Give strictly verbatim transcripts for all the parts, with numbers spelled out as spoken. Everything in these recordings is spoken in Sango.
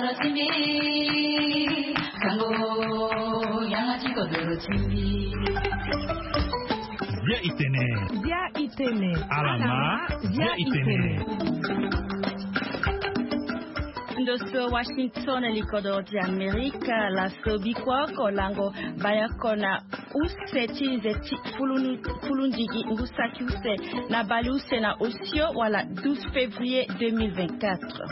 Bia itene. Bia itene. Alama. Bia itene. Ndo so Washington, likodoro ti Amerika. Laso bikua oko lango baya oko na use ti nze ti fulundigi ngu saki use na bale use na osio wala douze février deux mille vingt-quatre.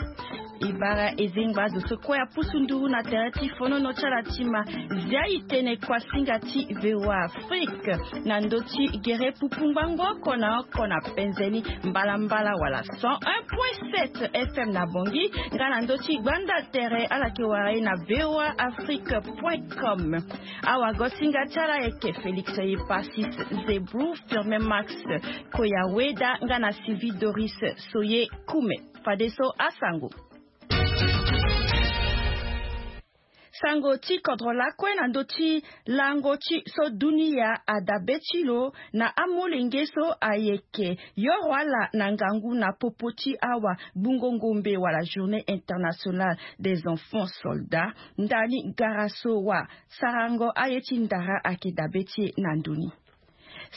E bara e zengba azo so kue apusu nduru na tere ti fonono ti ala ti ma. Zia itene kuasinga ti VOA Afrique na ndö ti gere pupu ngbangbo oko na oko na penze ni mbalambala wala cent un point sept FM na Bangui, nga na ndö ti gbanda tere ala yeke wara e na VOA Afrique point com. Awagosinga ti ala ayeke Félix Epasis Zebrou, Firmin Max Koyaweda nga na Sylvie Doris Soye Kume. Fadeso asango. Sango ti kodro lakue na ndö ti lango ti so dunia adabe ti lo na amolenge so ayeke yoro ala na ngangu na popo ti awa gbungo ngombe wala Journée Internationale des Enfants Soldats. Ndani gara so wa sarango aye ti ndara ayeke dabe ti e na ndö ni.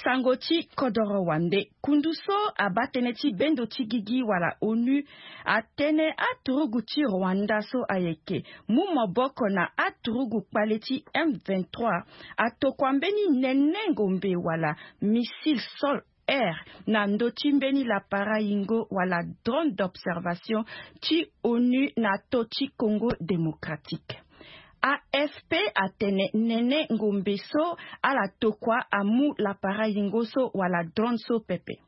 Sango ti kodoro wande. Kundu so abaa tënë ti bendo ti gigi wala ONU atene aturugu ti Rwanda so ayeke mu maboko na aturugu kpale ti M vingt-trois atokua mbeni nene ngombe wala missile sol air na ndö ti mbeni lapara yingo wala drone d'observation ti ONU na to ti Congo Démocratique. AFP atene nene ngombe so ala tokua amu lapara yingo so wala drone so pepe.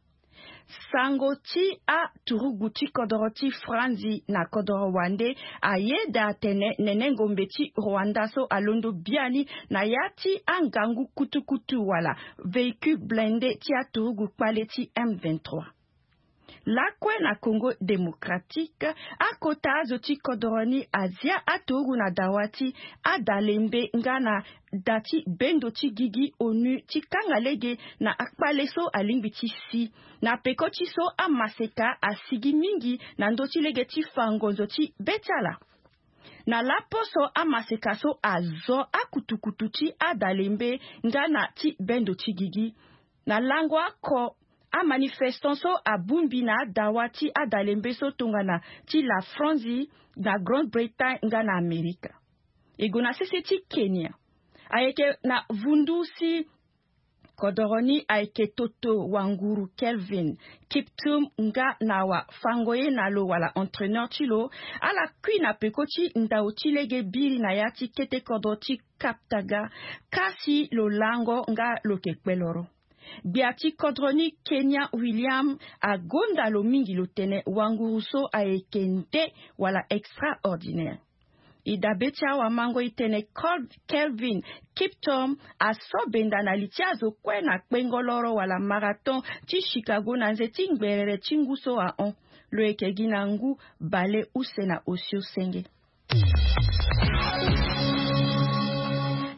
Sango ti aturugu ti kodoro ti Franzi na kodoro wande ayeda atene nene ngombe ti Rwanda so alondo biani na ya ti angangu kutukutu wala véhicule blindé ti aturugu kpale ti M vingt-trois. Lakue na Congo Démocratique, akota azo ti kodoro ni azia aturugu na dawa ti adalembe nga na da ti bendo ti gigi ONU ti kanga lege na akpale so alingbi ti si. Na peko ti so amaseka asigi mingi na ndö ti lege ti fa ngonzo ti be ti ala. Na laposo amaseka so azo akutukutu ti adalembe nga na ti bendo ti gigi. Na lango oko amanifestant so abongbi na adawa ti adalembe so tongana ti la Franzi na Grande-Bretagne nga na Amerika. E gue na sese ti Kenya. Ayeke na vundu si kodoro ni ayeke toto wanguru Kelvin Kiptum nga na wafango ye na lo wala entraîneur ti lo. Ala kui na peko ti ndau ti lege biri na ya ti kete kodro ti Kaptaga, kasi lo lango nga lo yeke kpe loro. Gbia ti kodro ni Kenya William agonda lo mingi lo tene wanguru so ayeke nde wala extraordinaire. E dabe ti awamango e tene Kelvin Kiptum aso benda na li ti azo kue na kpengo loro wala marathon ti Chicago na nze ti ngberere ti ngu so ahon. Lo yeke gi na ngu bale use na osio senge.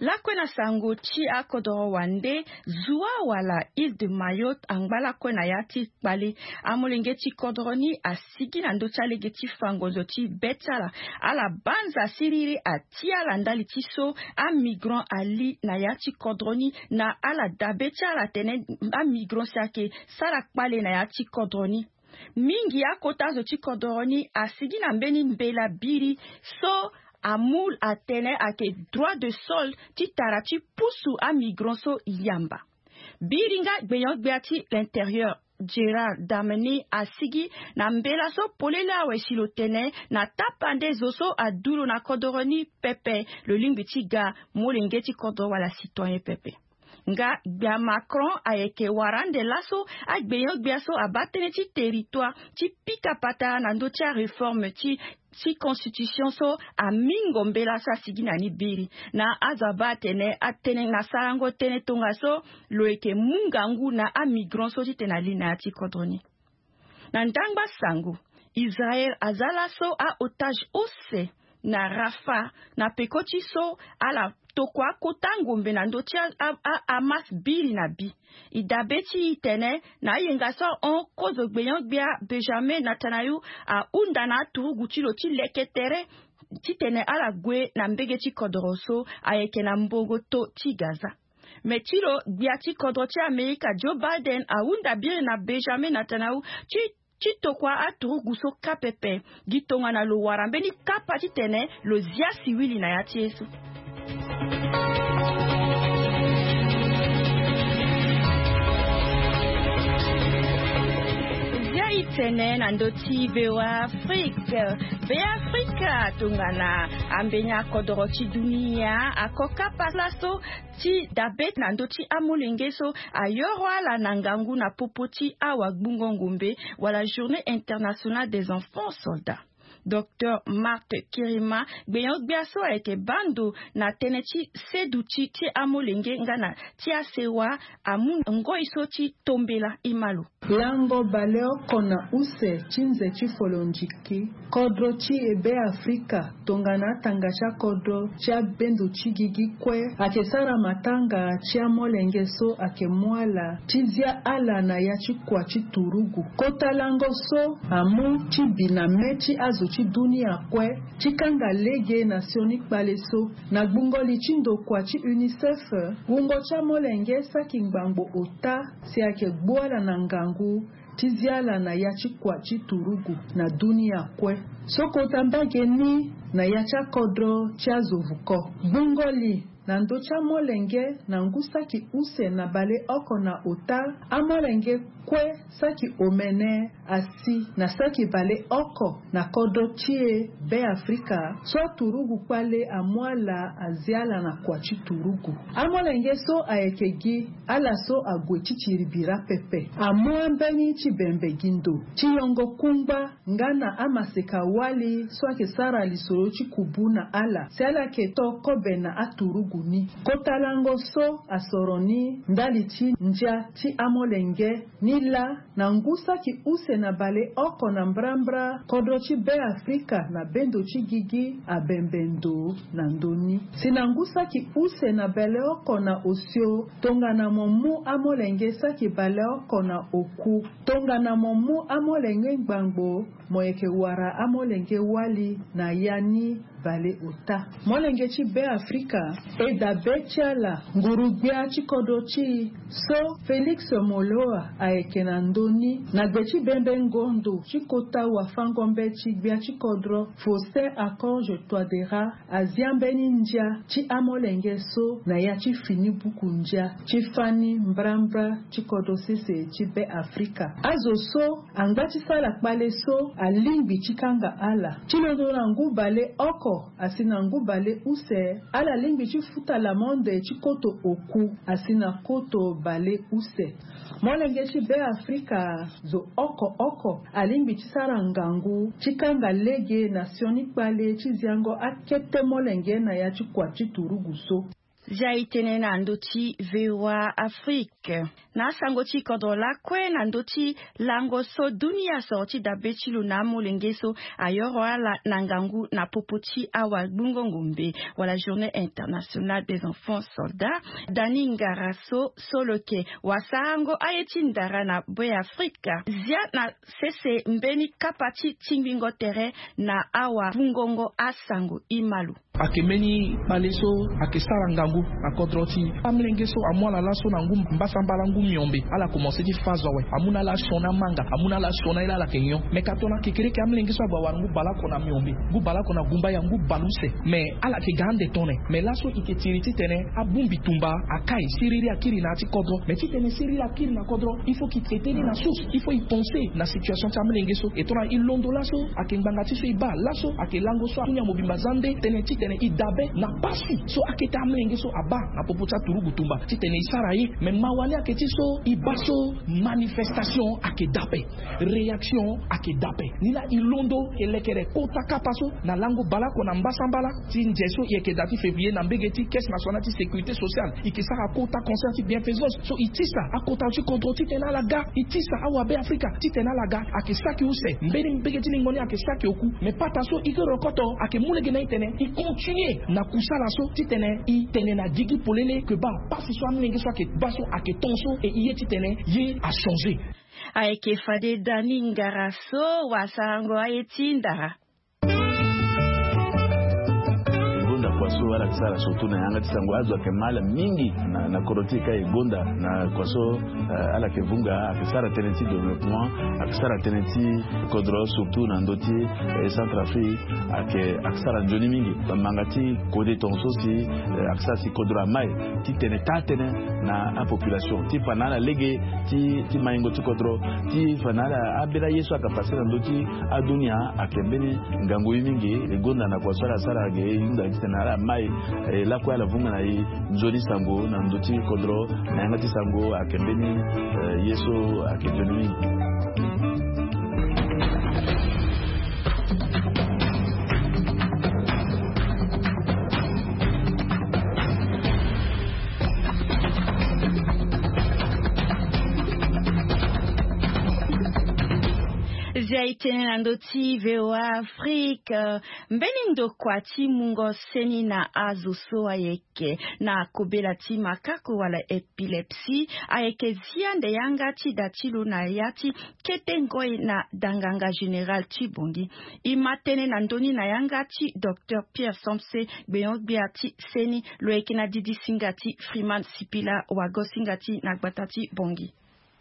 Lakue na sango ti akodoro wande, zua wala Île de Mayotte angba lakue na ya ti kpale. Amolenge ti kodro ni asigi na ndö ti alege ti fa ngonzo ti be ti ala. Ala banza siriri atia ala ndali ti so amigrant ali na ya ti kodro ni na ala dabe ti ala atene amigrant si ayeke sara kpale na ya ti kodro ni. Mingi akota zo ti kodoro ni asigi na mbeni mbela biri so amu atene ayeke droit de sol ti tara ti pusu amigrant so yamba. Biri nga gbenyo-gbia ti l'intérieur Gérald Damanin asigi na mbela so polele awe si lo tene na tapande zo so adu lo na kodoro ni pepe, lo lingbi ti ga molenge ti kodoro wala citoyen pepe. Nga gbia Macron ayeke wara ande laso agbenyo-gbia so abaa tënë ti territoire ti pika patara na ndö ti aréforme ti ti constitution so amingo mbela so asigi na ni biri. Na azo abaa atene atene na sarango tënë tongaso lo yeke mu ngangu na amigrant so titene ali na ya ti kodro ni. Na ndangba sango, Israël aza laso a-otage use na Rafah na peko ti so ala tokua akota ngombe na ndö ti a, a, a, Hamas biri na bi. E dabe ti e tene na ayenga so ahon kozo gbenyo-gbia Benjamin Netanyahu ahunda na aturugu ti lo ti leke tere titene ala gue na mbege ti kodoro so ayeke na mbongo to ti Gaza. Me ti lo, gbia ti kodro ti Amerika Joe Biden ahunda biri na Benjamin Netanyahu ti ti tokua aturugu so kâ pepe. Gi tongana lo wara mbeni kapa titene lo zia siwili na ya ti ye so. Zia e tene na ndö ti VOA Afrique. Beafrika, tongana ambeni akodoro ti dunia ako kapa laso ti dabe na ndö ti amolenge so ayoro ala na ngangu na popo ti awagbungo-ngombe, wala Journée Internationale des Enfants Soldats. Docteur Marthe Kirima, gbenyo-gbia so ayeke baa ndo na tënë ti seduti ti amolenge nga na ti asewa, amu ngoi so ti tombela e ma lo. Lango baleoko na use ti nze ti folondiki, kodro ti Beafrika tongana atanga ti akodro ti abendo ti gigi kue ayeke sara matanga ti amolenge so ayeke mu ala ti zia ala na ya ti kua ti turugu. Kota lango so amu ti bi na me ti azo ti dunia kue ti kanga lege na sioni kpale so. Na gbungo li ti ndokua ti UNICEF, wungo ti amolenge saki ngbangbo ota si ayeke gbu ala na ngangu ti zia ala na ya ti kua ti turugu na dunia kue. So kota mbage ni na ya ti akodro ti azo vuko. Gbungo li na ndö ti amolenge na ngu saki use na baleoko na ota, amolenge kue saki omene asi na saki baleoko na kodro ti e Beafrika so aturugu kpale amu ala azia ala na kua ti turugu. Amolenge so ayeke gi ala so ague ti tiri bira pepe. Amu ambeni ti bembe gi ndo ti yongo kungba nga na amaseka-wali so ayeke sara lisoro ti kubu na ala si ala yeke to kobe na aturugu ni. Kota lango so asoro ni ndali ti ndia ti amolenge ni laa na ngu saki use na baleoko na mbrambra kodro ti Beafrika na bendo ti gigi abembe ndo na ndö ni. Si na ngu saki use na baleoko na osio, tongana mo mu amolenge saki baleoko na oku, tongana mo mu amolenge ngbangbo, mo yeke wara amolenge wali na ya ni baleota. Molenge ti Beafrika, e dabe ti ala nguru-gbia ti kodro ti e so Félix Moloua ayeke na ndö ni na gbe ti bembe ngondo ti kota wafango-mbeti gbia ti kodro Faustin Archange Touadéra azia mbeni ndia ti amolenge so na ya ti fini buku ndia ti fani mbrambra ti kodro sese ti Beafrika. Azo so angba ti sala kpale so alingbi ti kanga ala. Ti londo na ngu baleoko asi na ngu baleuse, ala lingbi ti futa lamonde ti koto oku asi na koto baleuse. Molenge ti Beafrika, zo oko oko alingbi ti sara ngangu ti kanga lege na sioni kpale ti ziango akete molenge na ya ti kua ti turugu so. Zia e tene na ndö ti VOA Afrique. Na asango ti kodro lakue na ndö ti lango so dunia soro ti dabe ti lo na amolenge so ayoro ala na ngangu na popo ti awagbungo-ngombe, wala Journée Internationale des Enfants Soldats, Dani Ngara so, so lo yeke wasarango aye ti ndara na Beafrika, zia na sese mbeni kapa ti tingbingo tere na awagbungongo asango e ma lo. Ayeke mbeni kpale so ayeke sara ngangu na kodro ti amolenge so amu ala laso na ngu mbasambala, ngu miombe. Ala komanse ti fâ zo awe. Amu na ala asioni amanga, amu na ala asioni aye laa ala yeke nyon. Me ka tongana kekereke amolenge so ague awara ngu baleoko na miombe, ngu baleoko na gumbaya, ngu baleuse. Me ala yeke ga ande tone. Me laso e yeke tiri titene abongbi tumba akai, siriri akiri na ya ti kodro. Me titene siriri akiri na kodro, il faut que e traiter ni na source, il faut e penser na situation ti amolenge so. E tongana e londo laso, ayeke ngbanga ti so e baa laso, ayeke lango so adunia mobimba za nde tënë titene e dabe na pasi so akete amolenge so abaa na popo ti aturugu tumba titene e sara ye. Me mawa ni ayeke ti so e baa so manifestation ayeke dabe, réaction ayeke dabe. Ni laa e londo e lekere kota kapa so na lango baleoko na mbasambala ti nze so e yeke daa ti février na mbege ti Caisse Nationale ti Sécurité Sociale. E yeke sara kota concert ti bienfaisance so e tisa akota ti kodro titene ala ga, e tisa awabeafrika titene ala ga. Ayeke saki use, mbeni mbege ti lingo ni ayeke saki oku. Me pata so e ke rokoto ayeke mu lege na e tene e continuer na kusala so titene e tene na gigi polele ke baa pasi so amolenge so ayeke baa so ayeke ton so e ye titene ye achanger. Ayeke fade Dani Ngara so wasarango aye ti ndara. So ala yeke sara surtout na yanga ti sango, azo ayeke ma ala mingi na, na kodro ti e ka e gonda na kua so, eh, ala yeke vunga, ayeke sara tënë ti développement, ayeke sara tënë ti kodro surtout na ndö ti, eh, Centrafrique, ayeke, ayeke sara nzoni mingi. Manga ti kode tongaso si, eh, ayeke sara si kodro amai ti tene taa-tënë na apopulation ti fa na ala lege ti, ti maingo ti kodro, ti fa na ala ambeni aye so ayeke pase na ndö ti adunia, ayeke mbeni ngangu ye mingi. E gonda na kua so ala sara ge e hunda titene ala mai, eh, lakue ala vunga na e nzoni sango na ndö ti kodro na yanga ti sango ayeke mbeni, eh, ye so ayeke nzoni mingi. Zia e tene na ndö ti V O A Afrique, eh, mbeni ndokua ti mungo seni na azo so ayeke na kobela ti makako wala épilepsie ayeke zia nde yanga ti da ti lo na ya ti kete ngoi na danganga général ti Bangui. E ma tënë na ndö ni na yanga ti docteur Pierre Somse, gbenyo-gbia ti seni. Lo yeke na didi singa ti Freeman Sipila, wago singa ti na gbata ti Bangui.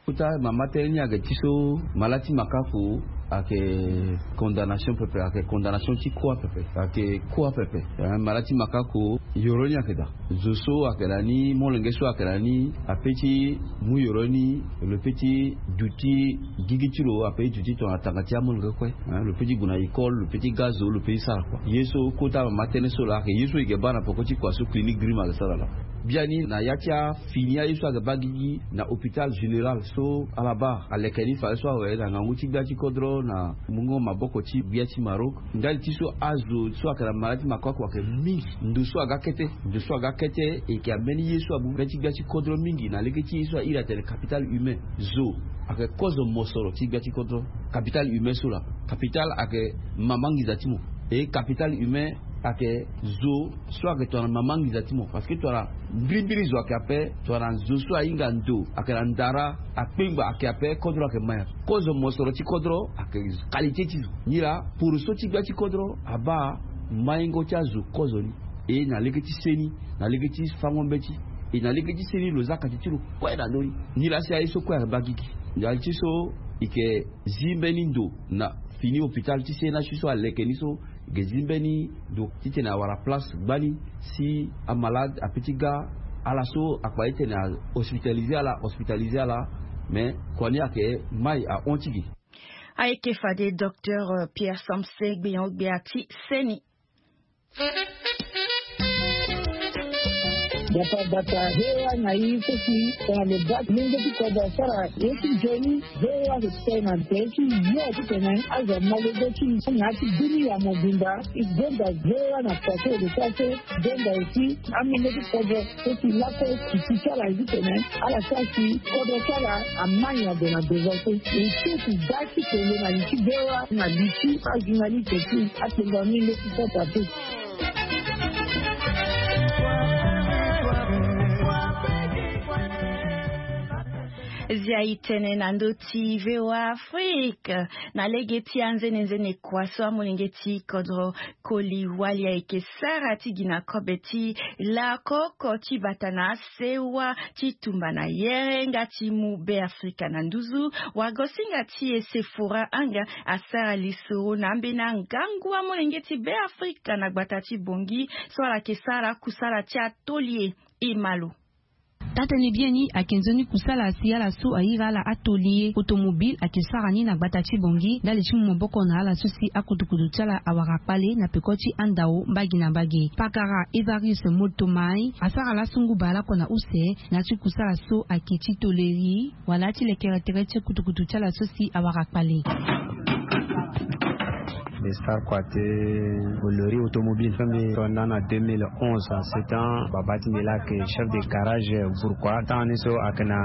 Kota mama tënë ni ayeke ti so malade ti makako ayeke condamnation pepe, ayeke condamnation ti kuâ pepe, ayeke kuâ pepe. Eh, malade ti makako, yoro ni ayeke daa. Zo so ayeke na ni, molenge so ayeke na ni, ape ti mu yoro ni, lo pe ti duti gigi ti lo, ape ti duti tongana tanga ti amolenge kue. Eh, lo pe ti gue na école, lo pe ti ga zo, lo pe ti sara kua. Ye so kota mama tënë so laa ayeke ye so e yeke baa na peko ti kua so clinique Grimm ayeke sara laa. Biani na ya ti afini aye so ayeke baa gigi na hôpital général so ala baa aleke ni fadeso awe na ngangu ti gbia ti kodro na mungo maboko ti gbia ti Maroc. Ndali ti so azo so ayeke na malade ti makako ayeke mingi. Ndo so aga kete, ndo so aga kete, e yeke ambeni ye so amu mbeni ti gbia ti kodro mingi na lege ti ye so airi atene capital humain. Zo ayeke kozo mosoro ti gbia ti kodro. Capital humain so laa, capital ayeke mama nginza ti mo. E capital humain ayeke zo so ayeke tongana mama nginza ti mo, parce que tongana mbirimbiri zo ayeke ape, tongana zo so ahinga ndo ayeke na ndara, akpengba ayeke ape, kodro ayeke ma ya. Kozo mosoro ti kodro ayeke qualité ti zo. Nilaa poroso ti gbia ti kodro abaa maingo ti azo kozo ni. E na lege ti seni, na lege ti fango mbeti, e na lege ti seni lo za kati ti lo kue na ndö ni. Nilaa si aye so kue ayeke baa gigi. Ndali ti so e yeke zi mbeni ndo na fini hôpital ti sena ti so aleke ni so, e yeke zi mbeni ndo titene awara place gbani si amalade ape ti ga. Ala so akpa titene ahospitalisé ala, hospitalisé ala. Mais kua ni ayeke mai ahon ti ge. Ayeke fade docteur, euh, Pierre Samse, gbenyo-gbia ti seni. Bata bata V O A na i so si tongana lo baa ti lenge ti kodro asara ye ti nzoni, V O A ayeke tene na tere ti yo titene azo amolenge ti i na ya ti dunia mobimba. I gonda V O A na kua so e lo sara so, gonda aussi amolenge ti kodro so si lakue titi ti ala ye titene ala sara si kodro ti ala amai ade na devant so. E so si baa ti tene na li ti V O A na li ti ajournaliste ti akpengba mingi ti sota te. Zia i tene na ndö ti V O A Afrique, na lege ti anzenenzene kua so amolenge ti kodro koli wali ayeke sara ti gi na kobe ti lakoko ti bata na sewa ti tumba na yere nga ti mu Beafrika na nduzu. Wagosinga ti e Sephora Anga asara lisoro na ambeni angangu amolenge ti Beafrika na gbata ti Bangui so ala yeke sara kusala ti atelier. E ma lo. Taa-tënë biani ayeke nzoni kusala si ala so airi ala atelier automobile ayeke sara ni na gbata ti Bangui ndali ti mu maboko na ala so si akutukutu ti ala awara kpale na peko ti andao mbage na mbage. Pakara Evarius Moltomai asara laso ngu baa lakue na use na ya ti kusala so ayeke ti toleri wala ti lekere tere ti akutukutu ti ala so si awara kpale. Mbi sara kua ti toleri automobile so mbi to nda na deux mille onze. C'était baba ti mbi laa ayeke chef de garage. Pourquoi? Temps ni so ayeke na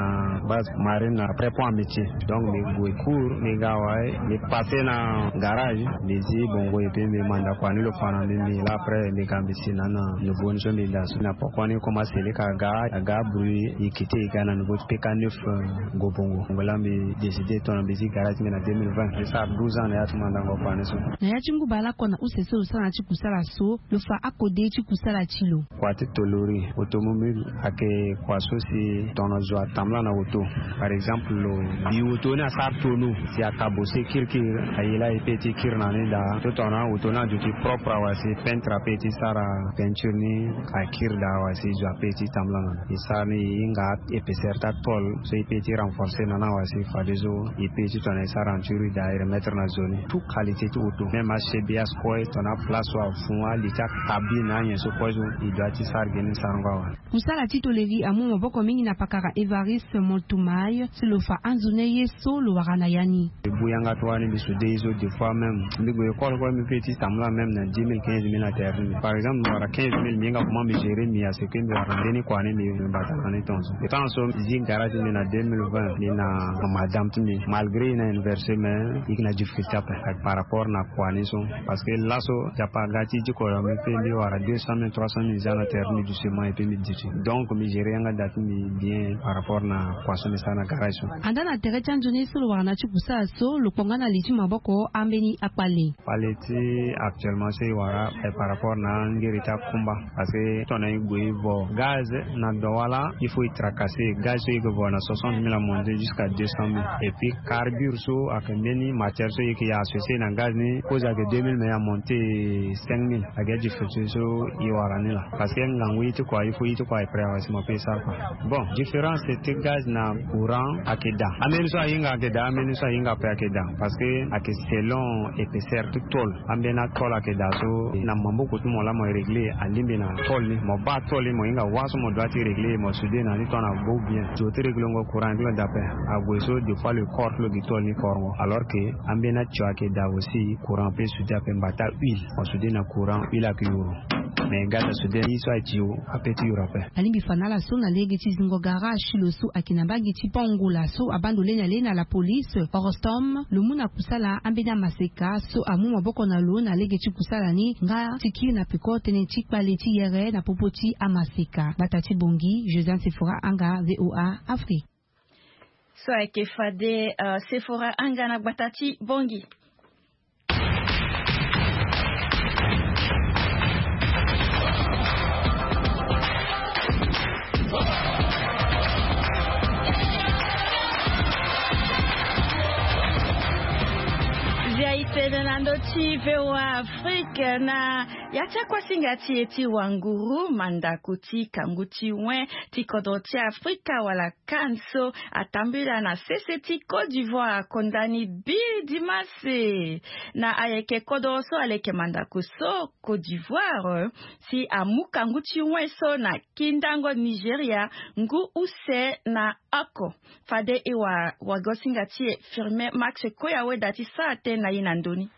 base marine après pont amitié. Donc mbi gue cours, mbi ga awe, mbi passé na garage, mbi zi bongo et puis mbi manda kua ni lo fa na mbi, mbi laa après mbi ga mbi si na na nouveau ni so mbi da so na poko ni comme asele ka aga, aga bruit, mbi quitté, mbi ga na nouveau ti P K neuf, euh, Ngo Bongo. Ngo laa mbi décidé tongana mbi zi garage ti mbi na deux mille vingt. Mbi sara douze ans na ya ti mandango kua ni so. Na ya ti ngu baleoko na use so lo sara na ti kusala so lo fa akode ti kusala ti lo. Kua ti tolori automobile ayeke kua so si tongana zo atambula na auto. Par exemple lo bi auto ni asara tono si akabose kirikiri, aye laa e pe ti kiri na ni daa. So tongana auto ni aduti propre awe si peintre ape ti sara peinture ni, akiri daa awe si zo ape ti tambula na ni. E sara ni e hinga épaisseur ti atôle so e pe ti renforcer na ni awe si fadeso e pe ti tongana e sara enturi daa e remettre na zo ni. Tout qualité ti auto, même achebs, kue tongana place so afu, ali ti akabine, anyen so kue so e doit ti sara gi ni sarango awe. Kusala ti toleri amu maboko mingi na pakara Évariste Montumay si lo fa anzoni ye so lo wara na ya ni. Mbi bu yanga ti wani mbi soude ye so, des fois même mbi gue école kue mbi pe ti tambula même na dix mille, quinze mille na terre ni. Par exemple mbi wara quinze mille, mbi hinga comment mbi gérer mbi à ce que mbi wara ndeni kua ni mbi bata na ni tongaso. Temps so mbi zi gara ti mbi na deux mille vingt, mbi na madame ti mbi, malgré e na université mais e yeke na difficulté ape par rapport na kua ni so. Parce que laso Nzapa aga ti diko na mbi pe mbi wara deux cent mille, trois cent mille za na terre ni doucement et puis mbi duti. Donc mbi gérer yanga da ti mbi bien par rapport na kua so mbi sara na garage so. Andaa na tere ti anzoni so lo wara na ti kusala so, lo kpo nga na li ti maboko ambeni akpale. Kpale ti actuellement so e wara aye par rapport na angiri ti akumba. Parce que tongana e gue e vo gaz na Douala, il faut e tracasser. Gaz so e yeke vo na soixante mille amonte jusqu'à deux cent mille. Et puis carbure so ayeke mbeni matière so e yeke associer na gaz ni, cause ayeke deux mille mais e amonte cinq mille. Ayeke difficulté so e wara ni laa. Parce que ngangu ye ti kua, il faut ye ti kua e prêt awe si mo pe e sara kua. Bon, différence ti gaz na courant ayeke daa. Ambeni so ahinga ayeke daa, ambeni so ahinga ape ayeke daa. Parce que ayeke selon épaisseur ti tôle. Ambeni atôle ayeke daa so na maboko ti mo laa mo régler alingbi na tôle ni. Mo baa tôle ni mo hinga wâ so mo doit ti régler, mo soude na ni tongana bo bien. Zo ti réglengo courant ti lo daa ape. Ague so des fois le corps ti lo gi tôle ni korongo. Alors que ambeni atio ayeke daa aussi, courant ape soude ape. Mbataa huile mo soude na courant, huile ayeke yuru. Mais gaz asoude ni so aye ti yo ape ti yuru ape. Alingbi fa na ala so na lege ti zingo garage ti lo so ayeke na mbage ti Pont Ngola so abando leni ale na la police Orostom, lo mu na kusala ambeni amaseka so amu maboko na lo na lege ti kusala ni nga ti kiri na peko tënë ti kpale ti yere na popo ti amaseka. Gbata ti Bongi, Josiane Sephora Anga, VOA Afrique. So ayeke fade, euh, Sephora Anga na gbata ti Bongi. Via itene na ndö ti VOA Afrique na ya ti akuasinga ti e ti wanguru, mandako ti kangu ti wen ti kodro ti Afrika wala CAN so atambula na sese ti Côte d'Ivoire, kondani Bill Dimas. Na ayeke kodro so aleke mandako so Côte d'Ivoire si amu kangu ti wen so na kindango Nigeria ngu use na oko. Fade e wara wagosinga ti e Firmin Max Koya weda ti sara tënë na ye na ndö ni.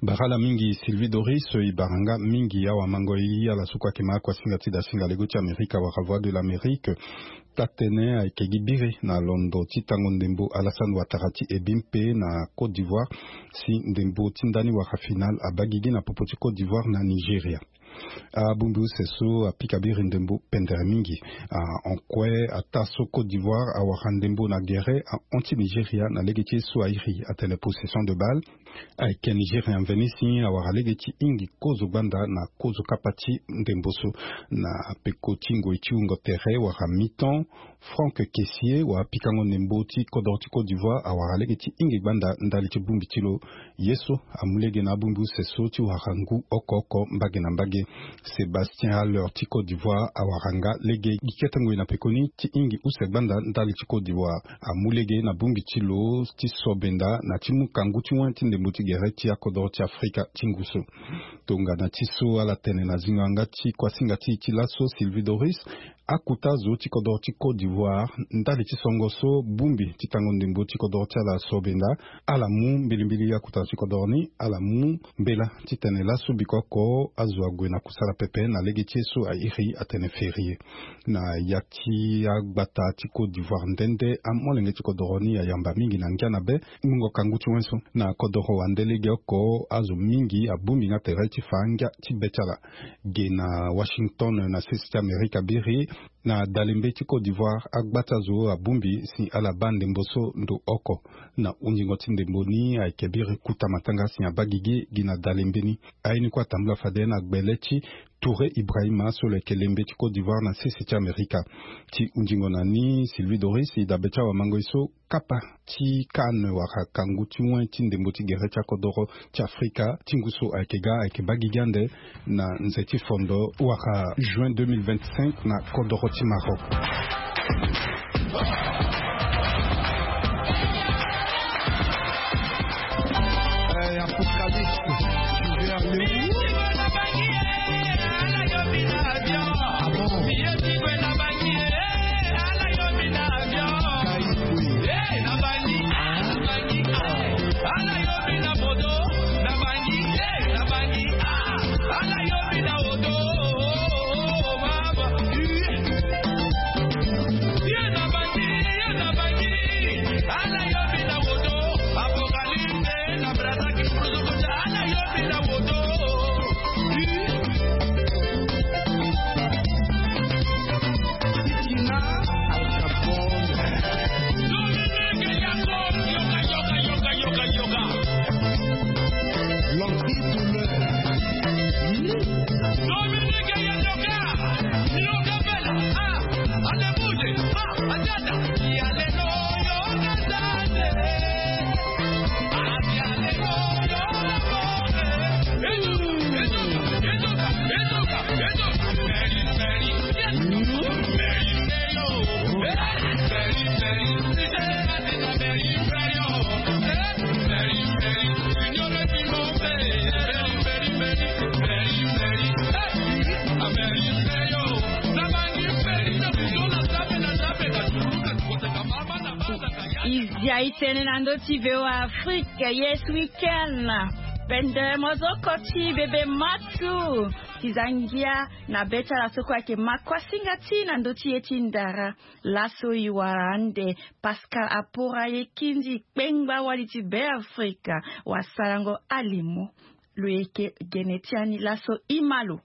Bara ala mingi Sylvie Doris, e bara nga mingi awamango e, ala so kue ayeke ma akuasinga ti dasinga lego ti Amerika wala Voix de l'Amérique. Taa-tënë ayeke gi biri na londo ti tango ndembo Alassane Ouattara ti e bi mpe na Côte d'Ivoire si ndembo ti ndani wara final abaa gigi na popo ti Côte d'Ivoire na Nigeria. Abongbi use so apika biri ndembo pendere mingi. Ah, en kue ataa so Côte d'Ivoire awara ndembo na gere ahon ti Nigeria na lege ti ye so airi atene possession de balle. Ayeke Nigeria mveni si awara lege ti hingi kozo gbanda na kozo kapa ti ndembo so. Na peko ti ngoi ti wungo tere wala mi-temps, Franck Kessié wala pikango ndembo ti kodro ti Côte d'Ivoire awara lege ti hingi gbanda ndali ti bongbi ti lo. Ye so amu lege na abongbi use so ti wara ngu oko oko mbage na mbage. Sébastien Haller ti Côte d'Ivoire awara nga lege gi kete ngoi na pekoni ti hingi use gbanda ndali ti Côte d'Ivoire. Amu lege na bongbi ti lo ti sobenda na ti mu kangu ti wen ti ndembo ti gere ti akodro ti Afrika ti ngu so. Tongana ti so ala tene na zingo yanga ti kuasinga ti e ti laso Sylvie Doris, akuta zo ti kodro ti Côte d'Ivoire ndali ti songo so bongbi ti tango ndembo ti kodro ti ala sobenda, ala mu mbilimbili akuta zo ti kodro ni, ala mu mbela titene laso bikoko azo ague na kusala pepe na lege ti ye so airi atene férié. Na ya ti agbata ti Côte d'Ivoire nde nde amolenge ti kodro ni ayamba mingi na ngia na be mungo kangu ti wen so. Na kodro wande legeoko azo mingi abongbi nga tere ti fa ngia ti be ti ala. Ge na Washington na sese ti Amerika biri, Na dalembe ti Côte d'Ivoire, agbata zo abongbi si ala baa ndembo so ndo oko. Na hundingo ti ndembo ni ayeke biri kuta matanga si abaa gigi gi na dalembe ni. Aye ni kue atambula fade na gbele ti Touré Ibrahima so lo yeke lembe ti Côte d'Ivoire na sese ti Amerika. Ti hundingo na ni, Sylvie Doris e dabe ti awamango ye so kapa ti CAN wala kangu ti wen ti ndembo ti gere ti akodoro ti Afrika ti ngu so ayeke ga ayeke baa gigi ande na nze ti fondo wala juin deux mille vingt-cinq na kodoro ti Maroc. I zia i tene na ndö ti V O A Afrique, Yes Weekend. Pendere mozoko ti bebe matu ti za ngia na be ti ala so kue ayeke ma kuasinga ti na ndö ti ye ti ndara. Laso i wara ande Pascal Apora Yekindi, kpengba wali ti Beafrika, wasarango alimo. Lo yeke gene ti ani laso i ma lo.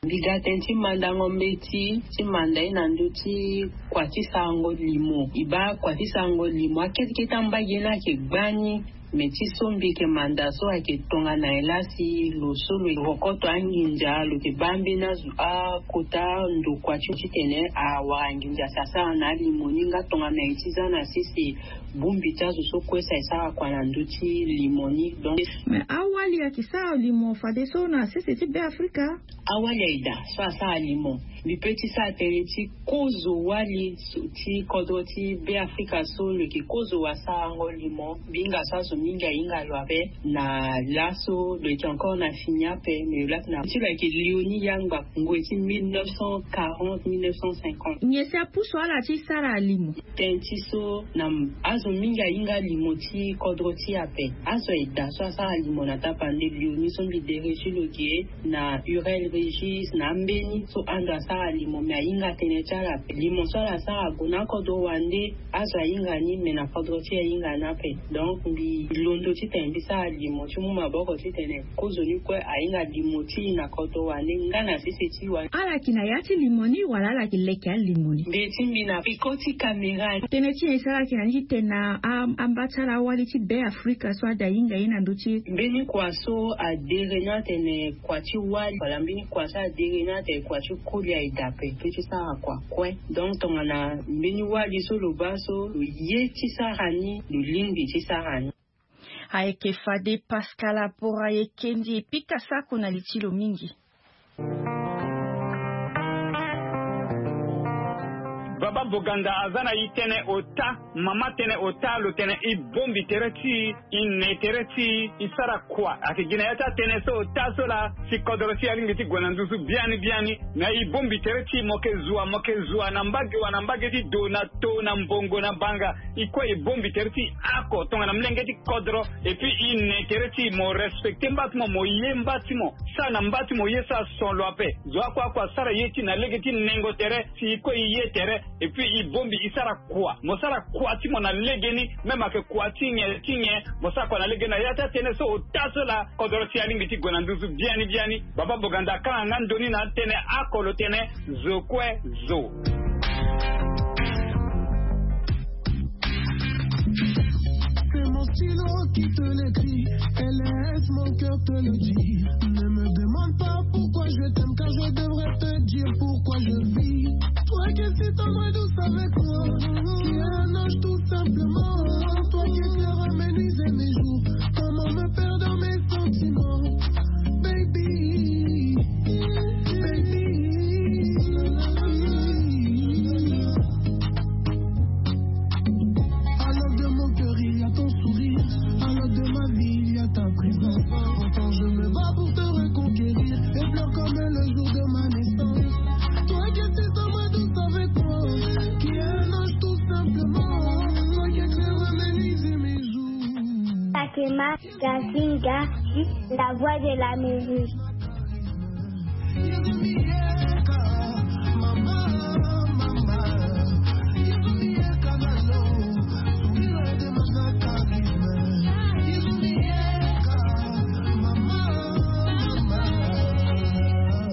Mbi ga tënë ti mandango mbeti ti manda ye na ndö ti kua ti sarango limo. I baa kua ti sarango limo, akete kete ambage ni ayeke gbani. Me ti so mbi yeke manda so ayeke tongana nyen la si lo so lo rokoto anginza, lo yeke baa mbeni azo akota ndokua ti titene awara nginza si asara na alimo ni, nga tongana nyen ti za na sese bongbi ti azo so kue si asara kua na ndö ti limo ni. Donc, me awali ayeke sara limo fadeso na sese ti Beafrika? Awali aye daa so asara limo. Mbi pe ti sara tënë ti kozo wali so ti kodro ti Beafrika so lo yeke kozo wasarango limo. Mbi hinga so azo mingi ahinga lo ape na laso lo yeke encore na fini ape, me lo laa tena ti lo ayeke Léonie Yangba, ngoi ti mille neuf cent quarante, mille neuf cent cinquante. Nyen si apusu ala ti sara limo? Tënë ti so na azo mingi ahinga limo ti kodro ti e ape. Azo aye daa so asara limo na tapande Léonie so mbi dere ti lo ge, na Hurel Régis, na ambeni so ando asara limo, me ahinga tënë ti ala ape. Limo so ala sara ague na akodro wande, azo ahinga ni, me na kodro ti e ahinga ni ape. Donc mbi londo titene mbi sara limo ti mu maboko titene kozo ni kue ahinga limo ti e na kodro wande nga na sese ti wande. Ala yeke na ya ti limo ni wala ala yeke leke alimo ni? Mbi ti mbi na peko ti kamera. Tënë ti nyen e sara ala yeke na ni ti tene na a- amba ti ala awali ti Beafrika so ade ahinga ye na ndö ti e? Mbeni kua so adere ni atene kua ti wali, wala mbeni kua so adere ni atene kua ti koli aye daa ape. Pe ti sara kua kue. Donc tongana mbeni wali so lo baa so lo ye ti sara ni, lo lingbi ti sara ni. Ayeke fade Pascal Apora Yekindi, pika sako na li ti lo mingi. Baba Boganda aza na e tënë ota, mama tënë ota, lo tene e bongbi tere ti e, e ne tere ti e, e sara kua. Ayeke gi na ya ti atënë so ota so laa si kodro ti e alingbi ti gue na nduzu biani biani. Me e bongbi tere ti e, mo yeke zua, mo yeke zua na mbage wa na mbage ti do na to na mbongo na banga. E kue e bongbi tere ti e oko tongana molenge ti kodro. Et puis e ne tere ti e, mo respecte mba ti mo, mo ye mba ti mo, sara na mba ti mo ye so ason lo ape. Zo oko oko asara ye ti e na lege ti nengo tere si e kue e ye tere. Et puis e bongbi e sara kua, mo sara kua ti mo na legeni. Même ayeke kua ti nyen ti nyen, mo sara kua na legeni na ya ti atënë so ota so laa kodoro ti e alingbi ti gue na nduzu biani biani. Baba Boganda akanga nga ndoni na atënë oko lo tene zo kue zo. C'est mon stylo qui te l'écrit et laisse mon cœur te le dire. Ne me demande pas pourquoi je t'aime, car je devrais te dire pourquoi je vis. Toi qui es si tendre et douce avec moi, qui est un ange tout simplement. Toi qui éclaires, aménise mes jours, comment me perdre dans mes sentiments, baby, baby. Alors de mon cœur il y a ton sourire, alors de ma vie il y a ta présence. Pourtant je me bats pour te reconquérir et pleure comme le jour de ma naissance. Toi qui es si tendre et douce avec moi, qui est un ange tout simplement. Toi qui éclaires, aménise mes jours. Takema Gazinga, la voix de l'Amérique.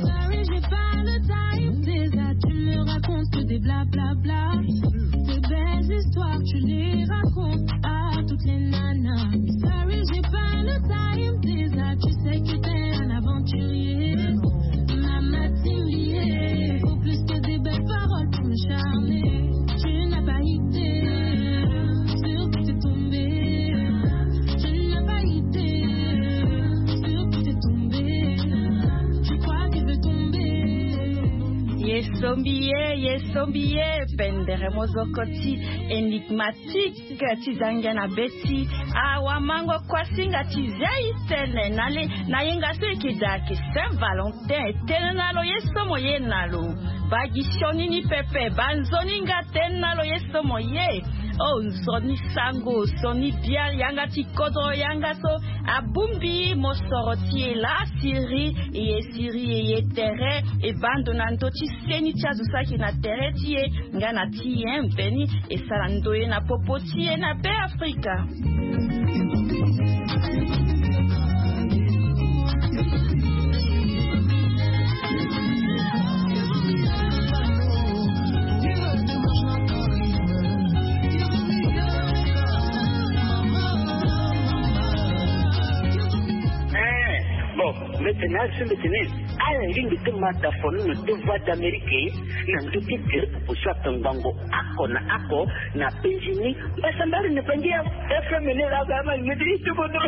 Sorry, j'ai pas le time, déjà tu me racontes que des blablabla. Tes belles histoires, tu les racontes à toutes les nanas. Sorry, j'ai pas le time, déjà tu sais que t'es un aventurier. Mama Timbier, faut plus que des belles paroles pour me charmer. Tu n'as pas idée sur qui t'es tombé. Tu n'as pas idée sur qui t'es tombé. Tu crois que je vais tomber. Ye sombi ye, ye sombi ye, pendere mozoko ti Enigmatique ti zangia na be ti awamango kuasinga ti zia e tene na le na yenga so eke daa ayeke Saint Valentin. Tene na lo ye so mo ye na lo. Baa gi sioni ni pepe, baa nzoni nga, tene na lo ye so mo ye. Oh, nzoni sango, nzoni bia, yanga ti kodro, yanga so abongbi mosoro ti e laa siriri, e ye siriri, e ye tere, e baa ndo na ndö ti seni ti azo so ayeke na tere ti e nga na ti e mbeni. E sara ndoye na popo ti e na Be Afrika. Eh, bon, mbete na azo mbete ni. Ala lingbi ti mata fo ni na deux voix d'Amérique na ndö ti direct popo so atongbango oko na oko na penzi ni. Mbasambari na penzi ya F M ni la gama ni midi ti bono.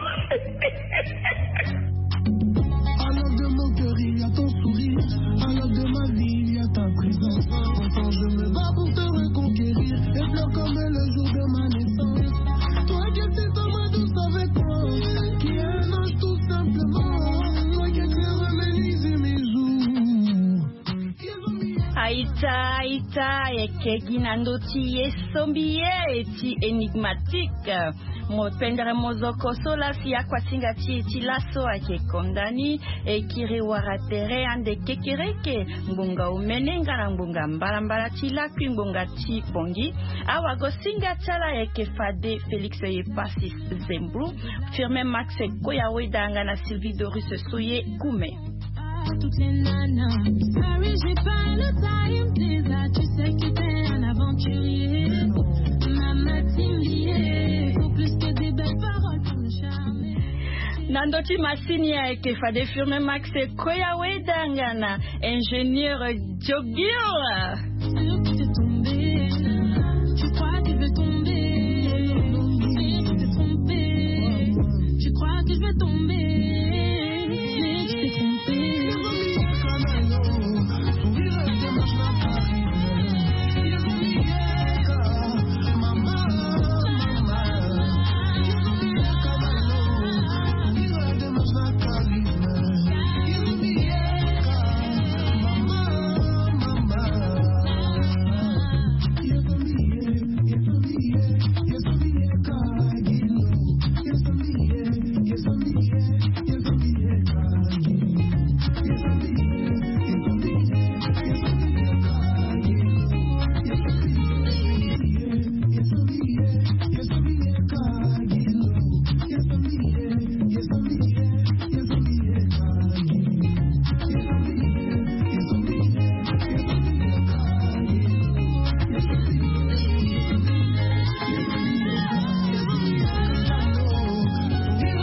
Alors de mon cœur il y a ton sourire, alors de ma vie il y a ta présence. Pourtant je me bats pour te reconquérir et pleure comme le jour de ma naissance. Toi qui es si tendre et douce avec moi, qui est un ange tout simplement. Toi qui éclaires, aménise mes jours. Aita, aita, yeke gi na ndö ti ye sombi ye ti Enigmatique. Mo pendere mozoko so laa si akuasinga ti e ti laso ayeke konda ni. E kiri wara tere ande kekereke, ngbonga omene nga na ngbonga mbalambala ti lakui ngbonga ti Bangui. Awagosinga ti ala ayeke fade Félix Epasis Zembro, Firmin Max Koya Weda nga na Sylvie Doris Soye Koume. Toutes les nanas. Sorry, j'ai pas le time, déjà tu sais que t'es un aventurier. Mama Timbier, faut plus que des belles paroles pour me charmer. Na ndö ti masini ayeke fade Firmin Max Koya Weda nga na ingénieur Diogil. Tu crois que je vais tomber? Tu t'es trompé. Tu crois que je vais tomber?